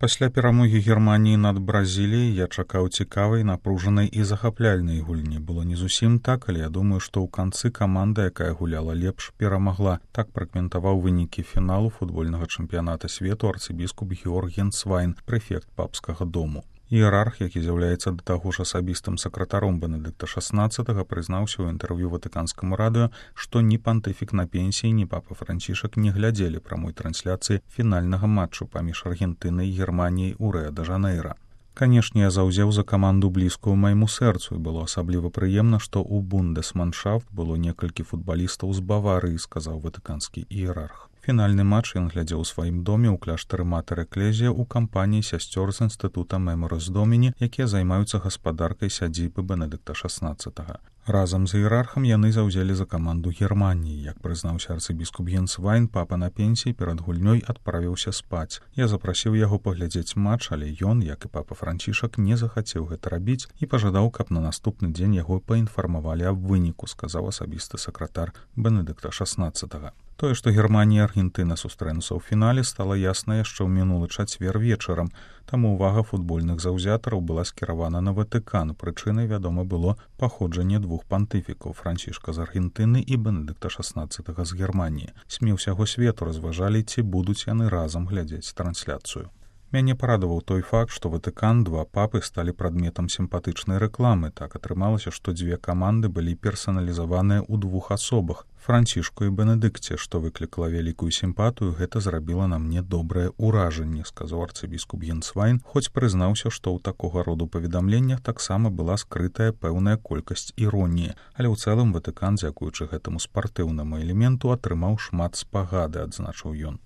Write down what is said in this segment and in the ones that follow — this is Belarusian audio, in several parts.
Пасля перамогі Германіі над Бразіліяй я чакаў цікавай, напружанай і захапляльнай гульні. Было не зусім так, але я думаю, што ў канцы каманда, якая гуляла лепш, перамагла. Так пракаментаваў вынікі фіналу футбольнага чэмпіяната свету арцыбіскуп Георг Генсвайн, прэфект папскага дому. Іерарх, які з'яўляецца да таго ж асабістым сакратаром Бенедыкта XVI, прызнаўся ў інтэрв'ю ватыканскаму радыё, што ні пантыфік на пенсіі, ні папа Францішак не глядзелі прамой трансляцыі фінальнага матчу паміж Аргентынай і Германіяй у Рыа-дэ-Жанэйра. Канешне, я заўзеў за каманду блізкую майму сэрцу, і было асабліва прыемна, што ў бундесманшафт было некалькі футбалістаў з Баварыі, сказаў ватыканскі іерарх. Фінальны матч ён глядзеў у сваім доме ў кляштары Матэр Эклезія ў кампаніі сясцёр з інстытута Меморис Доміні, якія займаюцца гаспадаркай сядзібы Бенедыкта XVI. Разам з іерархам яны заўзелі за каманду Германіі. Як прызнаўся арцыбіскуп Генсвайн, папа на пенсіі перад гульнёй адправіўся спаць. Я запрасіў яго паглядзець матч, але ён, як і папа Францішак, не захацеў гэта рабіць і пажадаў, каб на наступны дзень яго паінфармавалі аб выніку, сказаў асабісты сакратар Бенедыкта XVI. Тое, што Германія і Аргентына сустрэнуцца ў фінале, стала ясна яшчэ ў мінулы чацвер вечарам. Таму ўвага футбольных заўзятараў была скіравана на Ватыкан. Прычынай, вядома, было паходжанне двух пантыфікаў, Францішка з Аргентыны і Бенедыкта XVI з Германіі. СМІ ўсяго свету разважалі, ці будуць яны разам глядзець трансляцыю. Мяне парадаваў той факт, што Ватыкан, два папы сталі прадметам сімпатычнай рэкламы. Так атрымалася, што дзве каманды былі персаналізаваныя ў двух асобах – Францішку і Бенедыкце, што выклікала вялікую сімпатыю, гэта зрабіла на мне добрае ўражанне, сказаў арцыбіскуп Генсвайн, хоць прызнаўся, што ў такога роду паведамленнях таксама была скрытая пэўная колькасць іроніі. Але ў цэлым Ватыкан, дзякуючы гэтаму спартыўнаму элементу, атрымаў шмат спагады, адзначыў ён.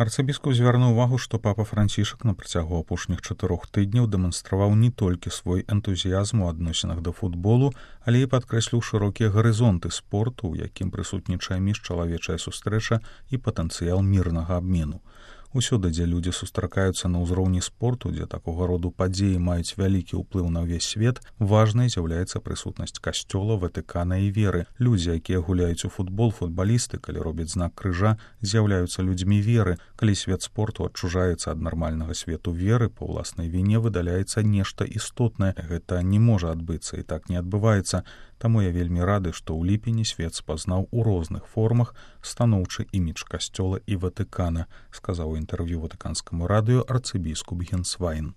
Арцыбіскуп звярнуў увагу, што папа Францішак на працягу апошніх 4 тыдняў дэманстраваў не толькі свой энтузіязм у адносінах да футболу, але і падкрэсліў шырокія гарызонты спорту, у якім прысутнічае міжчалавечая сустрэча і патэнцыял мірнага абмену. Усюды, дзе людзі сустракаюцца на ўзроўні спорту, дзе такога роду падзеі маюць вялікі ўплыў на ўвесь свет, важнай з'яўляецца прысутнасць касцёла, Ватыкана і веры. Людзі, якія гуляюць у футбол, футбалісты, калі робяць знак крыжа, з'яўляюцца людзьмі веры. Калі свет спорту адчужаецца ад нармальнага свету веры, па ўласнай віне выдаляецца нешта істотнае. Гэта не можа адбыцца і так не адбываецца. Таму я вельмі рады, што ў ліпені свет спазнаў у розных формах станоўчы імідж касцёла і Ватыкана, сказаў у інтэрв'ю ватыканскаму радыё арцыбіскуп Генсвайн.